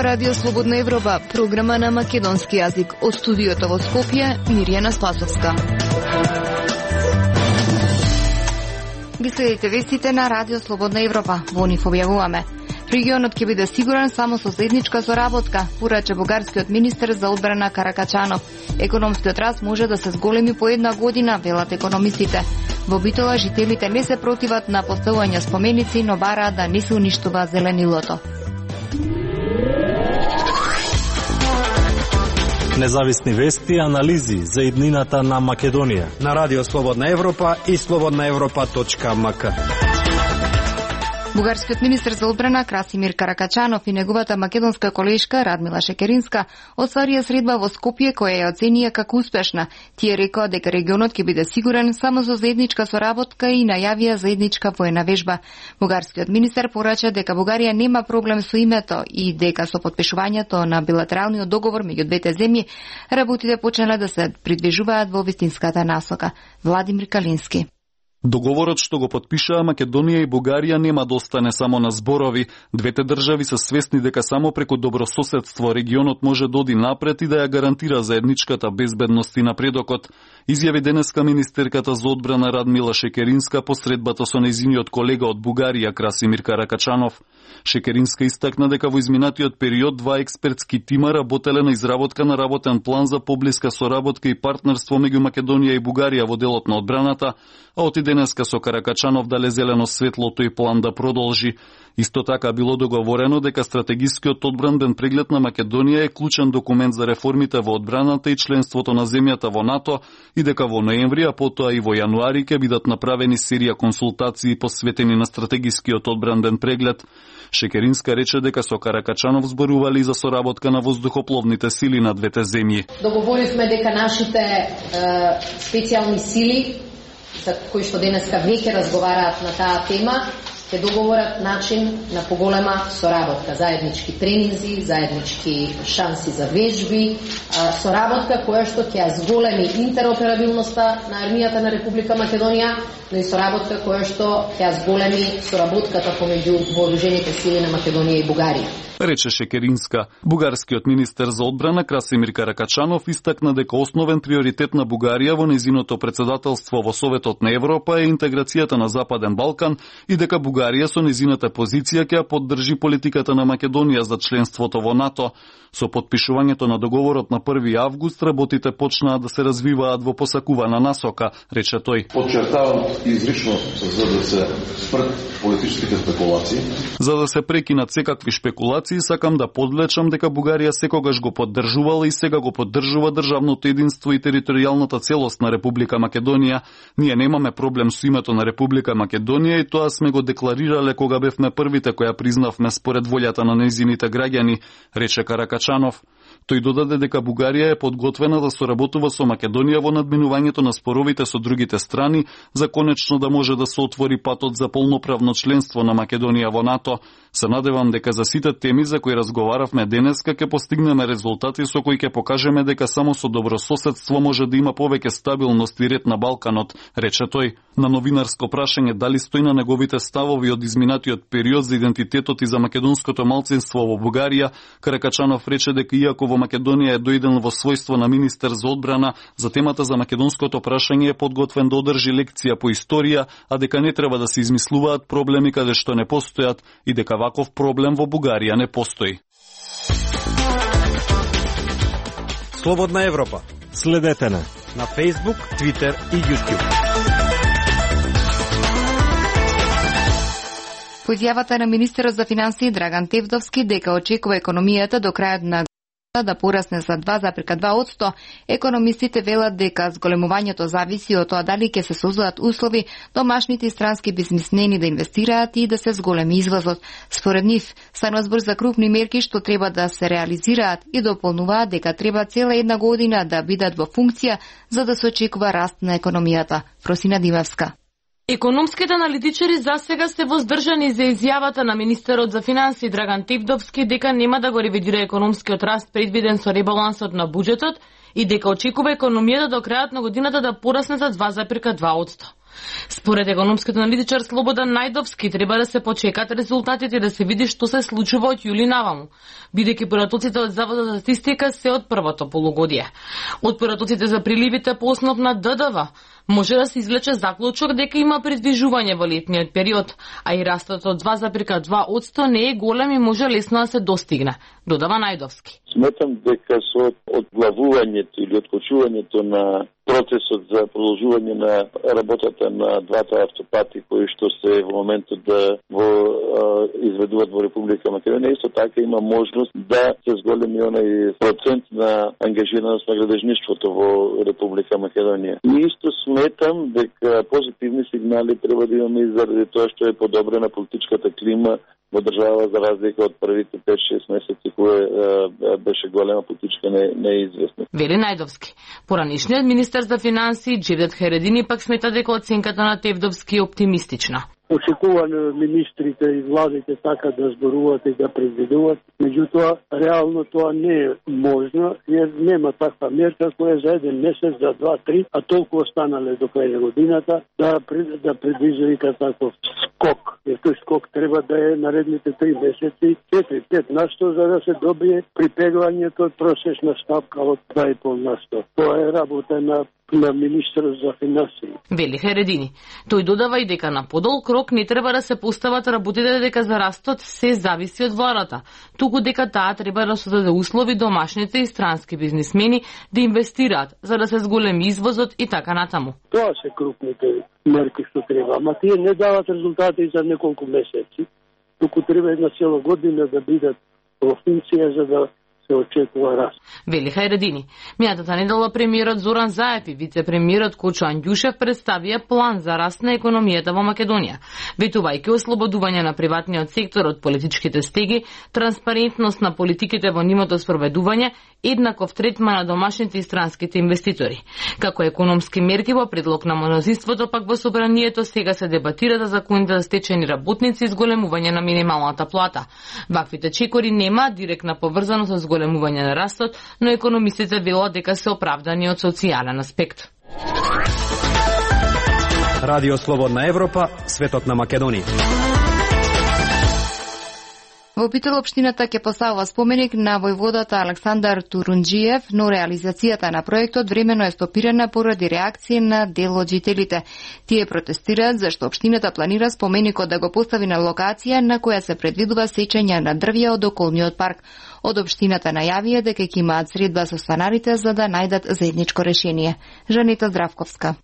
Радио Слободна Европа, програма на македонски јазик. Од студиото во Скопје, Мирјана Спасовска. Ги следите вестите на Радио Слободна Европа. Во нив објавуваме: регионот ќе биде сигурен само со заедничка соработка, порача бугарскиот министер за одбрана Каракачанов. Економскиот раст може да се зголеми по една година, велат економистите. Во Битола жителите не се противат на поставување споменици, но бараат да не се уништува зеленилото. Независни вести и анализи за иднината на Македонија на Радио Слободна Европа и slobodnaevropa.mk. Бугарскиот министер за одбрана Красимир Каракачанов и неговата македонска колешка Радмила Шекеринска остварија средба во Скопје која ја оценија како успешна. Тие рекоа дека регионот ќе биде сигурен само со заедничка соработка и најавија заедничка воена вежба. Бугарскиот министер порача дека Бугарија нема проблем со името и дека со потпишувањето на билатералниот договор меѓу двете земји работите почнале да се придвижуваат во вистинската насока. Владимир Калински. Договорот што го потпишаа Македонија и Бугарија нема да остане само на зборови. Двете држави се свесни дека само преку добрососедство регионот може да оди напред и да ја гарантира заедничката безбедност и напредокот. Изјави денеска министерката за одбрана Радмила Шекеринска по средбата со нејзиниот колега од Бугарија Красимир Каракачанов. Шекеринска истакна дека во изминатиот период два експертски тима работеле на изработка на работен план за поблиска соработка и партнерство меѓу Македонија и Бугарија во делот на одбраната, а од денеска со Каракачанов дале зелено светло тој план да продолжи. Исто така било договорено дека стратегискиот одбранбен преглед на Македонија е клучен документ за реформите во одбраната и членството на земјата во НАТО и дека во ноември, а потоа и во јануари ќе бидат направени серија консултации посветени на стратегискиот одбранбен преглед. Шекеринска рече дека со Каракачанов зборували за соработка на воздухопловните сили на двете земји. Договоривме дека нашите специјални сили, за кои што денеска веќе разговараат на таа тема, ќе договорат начин на поголема соработка, заеднички тренинзи, заеднички шанси за вежби, соработка која што ќе ја зголеми интероперабилноста на армијата на Република Македонија, но и соработка која што ќе ја зголеми соработката помеѓу вооружените сили на Македонија и Бугарија. Рече Шекеринска. Бугарскиот министер за одбрана Красимир Каракачанов истакна дека основен приоритет на Бугарија во нејзиното председателство во Советот на Европа е интеграцијата на Западен Балкан и дека Бугарија со нејзината позиција ќе ја поддржи политиката на Македонија за членството во НАТО. Со потпишувањето на договорот на 1 август работите почнаа да се развиваат во посакувана насока, рече тој. Подчертавам изрично за да се спрат политичките спекулации. За да се прекинат секакви шпекулации, сакам да подлечам дека Бугарија секогаш го поддржувала и сега го поддржува државното единство и територијалната целост на Република Македонија. Ние немаме проблем со името на Република Македонија и тоа сме го декларирале кога бевме првите која признавме според волјата на нејзините граѓани, рече Каракачанов. Тој додаде дека Бугарија е подготвена да соработува со Македонија во надминувањето на споровите со другите страни за конечно да може да се отвори патот за полноправно членство на Македонија во НАТО. Се надевам дека за сите теми за кои разговаравме денеска ќе постигнеме резултати со кои ќе покажеме дека само со добрососедство може да има повеќе стабилност и ред на Балканот, рече тој. На новинарско прашање дали стои на неговите ставови од изминатиот период за идентитетот и за македонското малцинство во Бугарија, Каракачанов рече дека иако во Македонија е дојден во својство на министер за одбрана, за темата за македонското прашање е подготвен да одржи лекција по историја, а дека не треба да се измислуваат проблеми каде што не постојат и дека ваков проблем во Бугарија не постои. Слободна Европа. Следете на Facebook, Twitter и YouTube. По изјавата на министерот за финансии Драган Тевдовски дека очекува економијата до крајот на да порасне за 2,2%, економистите велат дека зголемувањето зависи од тоа дали ќе се создадат услови домашните и странски бизнисмени да инвестираат и да се зголеми извозот. Според нив, станува збор за крупни мерки што треба да се реализираат и дополнуваат дека треба цела една година да бидат во функција за да се очекува раст на економијата. Просина Димевска. Економските аналитичари засега се воздржани за изјавата на министерот за финансии Драган Тевдовски дека нема да го ревидира економскиот раст предвиден со ребалансот на буџетот и дека очекува економијата до крајот на годината да порасне за 2,2%. Според економскиот аналитичар Слободан Најдовски треба да се почекат резултатите да се види што се случува од јули наваму, бидејќи поратоците од Заводот за статистика се од првото полугодие. Од поратоците за приливите по основ на ДДВ може да се извлече заклучок дека има придвижување во летниот период, а и растот од 2,2% не е голем и може лесно да се достигне, додава Најдовски. Сметам дека со одглавувањето или откочувањето на процесот за продолжување на работата на двата автопати кои што се во моментот да изведуваат во Република Македонија, исто така има можност да се зголеми онај процент на ангажираност на градежништвото во Република Македонија. И исто сметам дека позитивни сигнали треба да имаме и заради тоа што е подобрена политичката клима во држава за разлика од првите 5-6 месеци кога беше голема политичка неизвестност. Вели Најдовски. Поранишниот министер за финансии Джевдет Хередини пак смета дека оценката на Тевдовски е оптимистична. Очекувано министрите и владите така да зборуваат и да предвидуваат, меѓутоа реално тоа не е можно, jer нема таква мерка која за еден месец, за 2-3, а толку останале до крај на годината да предвижда таков скок. Jer тој скок треба да е наредните 3 месеци 4-5%, за да се добие припеглањето од просечна ставка од 2,5%. Тоа е работа на министерот за финансии. Вели Хередини. Тој додава и дека на подолг рок не треба да се постават работите дека за растот се зависи од владата, туку дека таа треба да создаде услови домашните и странски бизнисмени да инвестираат за да се зголеми извозот и така натаму. Тоа се крупните мерки што треба, ама тие не дават резултати за неколку месеци, туку треба една цела година да бидат во функција за да се очекува раст. Вели Хајредини. Мијатата недела премиерот Зоран Заев и вице-премиерот Кочо Анѓушев представија план за раст на економијата во Македонија, ветувајќи ослободување на приватниот сектор од политичките стеги, транспарентност на политиките во нивното спроведување, еднаков третман на домашните и странските инвеститори. Како економски мерки во предлог на мнозинството пак во собранието сега се дебатира за законите за стечени работници и зголемување на минималната плата. Ваквите чекори нема директна поврзаност со зголемување на растот, но економистите велат дека се оправдани од социјален аспект. Радио Слободна Европа, светот на Македонија. Во Битол општината ќе поставува споменик на војводата Александар Турунџиев, но реализацијата на проектот времено е стопирана поради реакција на дел од жителите. Тие протестираат зашто општината планира споменикот да го постави на локација на која се предвидува сечење на дрвја од околниот парк. Од општината најавија дека ќе имаат средба со станарите за да најдат заедничко решение. Жанета Здравковска.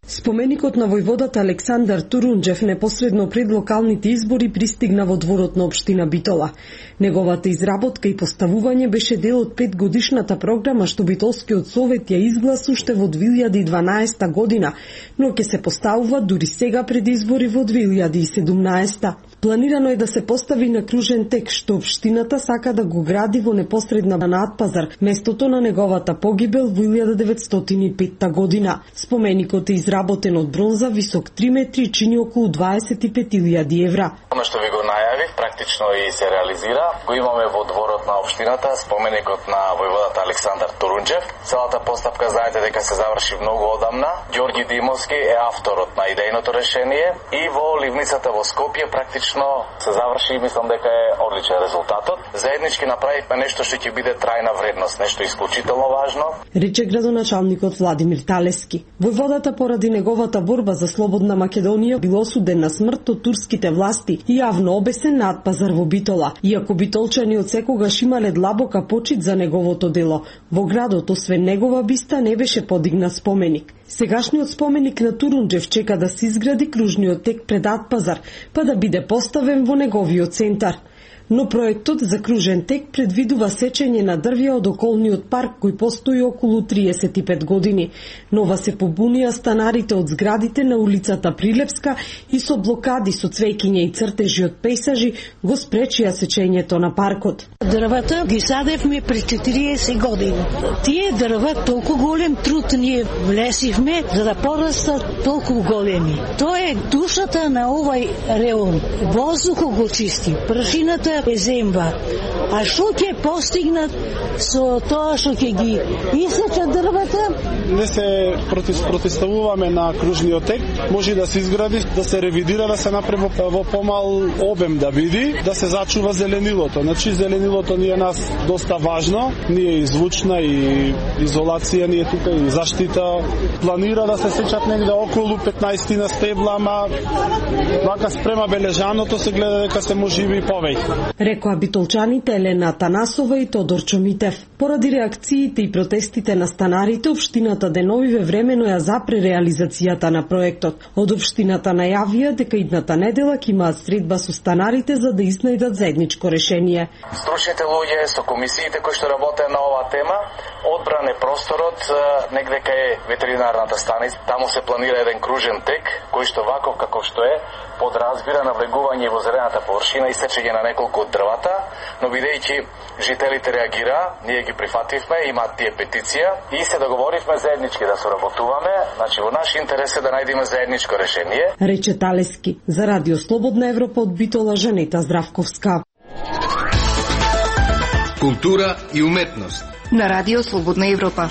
Споменикот на војводата Александар Турунџев непосредно пред локалните избори пристигна во дворот на општина Битола. Неговата изработка и поставување беше дел од 5-годишната програма што Битолскиот совет ја изгласи уште во 2012 година, но ќе се поставува дури сега пред избори во 2017. Планирано е да се постави на кружен тек што општината сака да го гради во непосредна надпазар, местото на неговата погибел во 1905 година. Споменикот е изработен од бронза, висок 3 метри и чини околу 25.000 евра. Оно што ви го најавив, практично и се реализира. Го имаме во дворот на општината, споменикот на војводата Александар Турунџев. Целата постапка знаете дека се заврши многу одамна. Ѓорги Димовски е авторот на идејното решение и во ливницата во Скопје практично се заврши и мислам дека е одличен резултатот. Заеднички направивме нешто што ќе биде трајна вредност, нешто исклучително важно. Рече градоначалникот Владимир Талески. Војводата поради неговата борба за слободна Македонија бил осуден на смрт од турските власти и јавно обесен на пазар во Битола. Иако битолчани од секогаш имале длабока почит за неговото дело, во градот освен негова биста не беше подигнат споменик. Сегашниот споменик на Турунџев чека да се изгради кружниот тек пред Атпазар, па да биде поставен во неговиот центар. Но проектот за кружен тек предвидува сечење на дрвја од околниот парк кој постои околу 35 години. Нова се побунија станарите од зградите на улицата Прилепска и со блокади со цвеќиња и цртежи од пейсажи го спречија сечењето на паркот. Дрвата ги садевме пред 40 години. Тие дрва толку голем труд ние влесивме за да порастат толку големи. Тоа е душата на овај реон. Воздухот го чисти, прашината е земба. А што ќе постигнат со тоа што ќе ги исечат дрвата не се противставуваме на кружниот тек, може да се изгради, да се ревидира, да се направи во помал обем да биде, да се зачува зеленилото. Значи зеленилото ни е нас доста важно, ние и звучна и изолација, ние тука и заштита. Планира да се сечат негде околу 15 на стебла, ама вака спрема бележаното се гледа дека се можеби и повеќе. Рекоа битолчаните Елена Танасова и Тодор Чомитев. Поради реакциите и протестите на станарите, општината деновиве времено ја запре реализацијата на проектот. Од општината најавија дека идната недела ќе имаат средба со станарите за да изнајдат заедничко решение. Стручните луѓе со комисиите кои што работеа на оваа тема одбране просторот негде кај ветеринарната станица. Таму се планира еден кружен тек кој што ваков како што е подразбира навлегување во зелената површина и сечење на неколку од дрвата, но бидејќи жителите реагира, ние ги прифативме, имаат тие петиција и се договоривме заеднички да соработуваме, значи во наш интерес е да најдеме заедничко решение. Рече Талески за Радио Слободна Европа од Битола Жанета Здравковска. Култура и уметност на Радио Слободна Европа.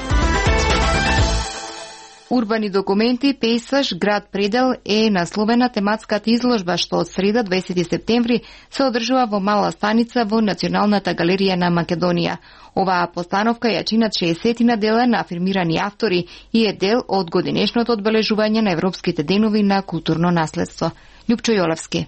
Урбани документи, пейсаж, град Предел е насловена тематската изложба што од среда 20 септември се одржува во Мала станица во Националната галерија на Македонија. Оваа постановка ја чинат 60 дела на афирмирани автори и е дел од годинешното одбележување на Европските денови на културно наследство. Љупчо Јолевски.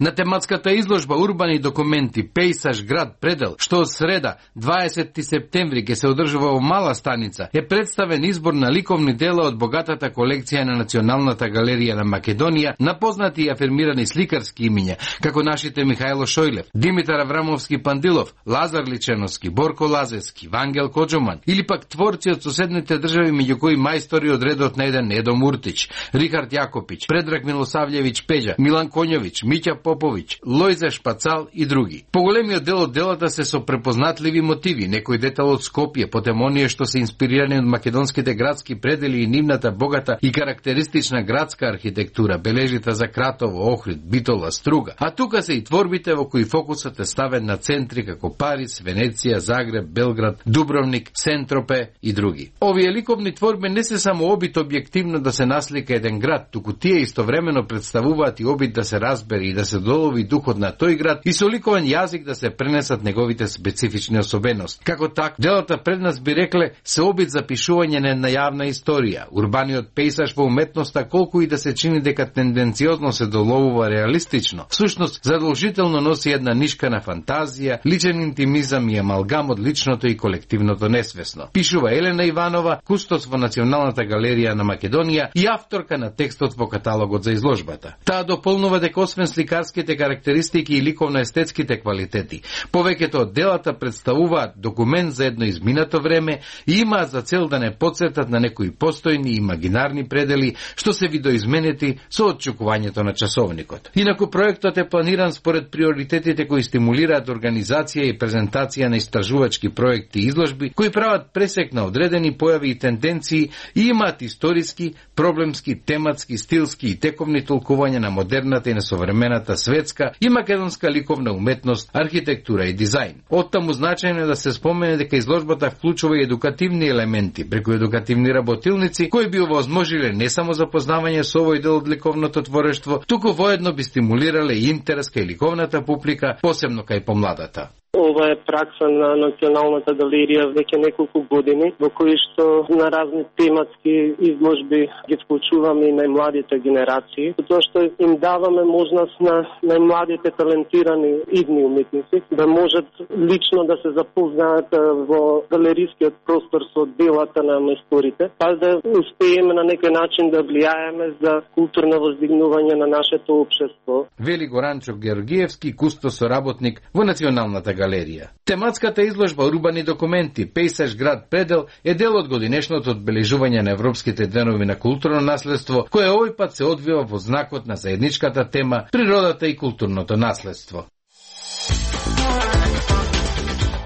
На тематската изложба Урбани документи, пейсаж, град Предел, што од среда 20 септември ќе се одржува во Мала станица, е представен избор на ликовни дела од богатата колекција на Националната галерија на Македонија на познати и афирмирани сликарски имиња, како нашите Михајло Шојлев, Димитар Аврамовски Пандилов, Лазар Личеновски, Борко Лазевски, Вангел Коджоман, или пак творци од соседните држави, меѓу кои мајстори од редот на еден Едо Муртич, Рихард Јакопиć, Предраг Милосављевиќ Пеđа, Милан Коњовиć, Миќа Поповиć, Лојзе Шпацал и други. Поголемиот дел од делата се со препознатливи мотиви, некој детал од Скопје, потем оние што се инспирирани од македонските градски предели и нивната богата и карактеристична градска архитектура, бележите за Кратово, Охрид, Битола, Струга. А тука се и творбите во кои фокусот е ставен на центри како Париз, Венеција, Загреб, Белград, Дубровник, Сентропе и други. Овие ликовни творби не се само обид објективно да се наслика еден град, туку тие истовремено представуваат и обид да се разбере и да се долови духот на тој град и со ликовен јазик да се пренесат неговите специфични особености. Како так, делата пред нас би рекле се обид за пишување на една јавна историја. Урбаниот пейсаж во уметноста, колку и да се чини дека тенденциозно се доловува реалистично, всушност задолжително носи една нишка на фантазија, личен интимизам и амалгам од личното и колективното несвесно. Пишува Елена Иванова, кустос во Националната галерија на Македонија и авторка на текстот во каталогот за изложбата. Таа дополнува дека освен сликарските карактеристики и ликовно-естетските квалитети, повеќето од делата представуваат документ за едно изминато време и имаат за цел да не потсетат на некои постојни и имагинарни предели што се видоизменети со отчекувањето на часовникот. Инаку проектот е планиран според приоритетите кои стимулираат организација и презентација на истражувачки проекти и изложби кои прават пресек на одредени појави и тенденции и имаат историски, проблемски, тематски, стилски и тековни толкувања на модерната и на современата светска и македонска ликовна уметност, архитектура и дизајн. Оттаму значајно е да се спомене дека изложбата вклучува и едукативни елементи, преку едукативни работилници кои би овозможиле не само запознавање со овој дел од ликовното творештво, туку воедно би стимулирале и интерес кај ликовната публика, посебно кај помладата. Ова е пракса на Националната галерија веќе неколку години, во кои што на разни тематски изложби ги вклучуваме и најмладите генерации, затоа што им даваме можност на најмладите талентирани идни уметници да можат лично да се запознаат во галерискиот простор со делата на мајсторите, па да успееме на некој начин да влијаеме за културно воздигнување на нашето општество. Вели Горанчо Георгиевски, кустос работник во Националната галерија. Тематската изложба Урбани документи, пейсаж, град Предел е дел од годинешното одбележување на Европските денови на културно наследство, кое овој пат се одвива во знакот на заедничката тема природата и културното наследство.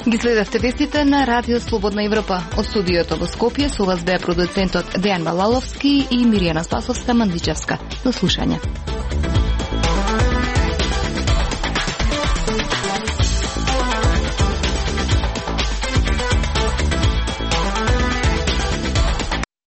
Ги следавте вестите на Радио Слободна Европа. Од студиото во Скопје со вас беа продуцентот Дејан Балаловски и Миријана Спасовска Мандичевска. До слушање.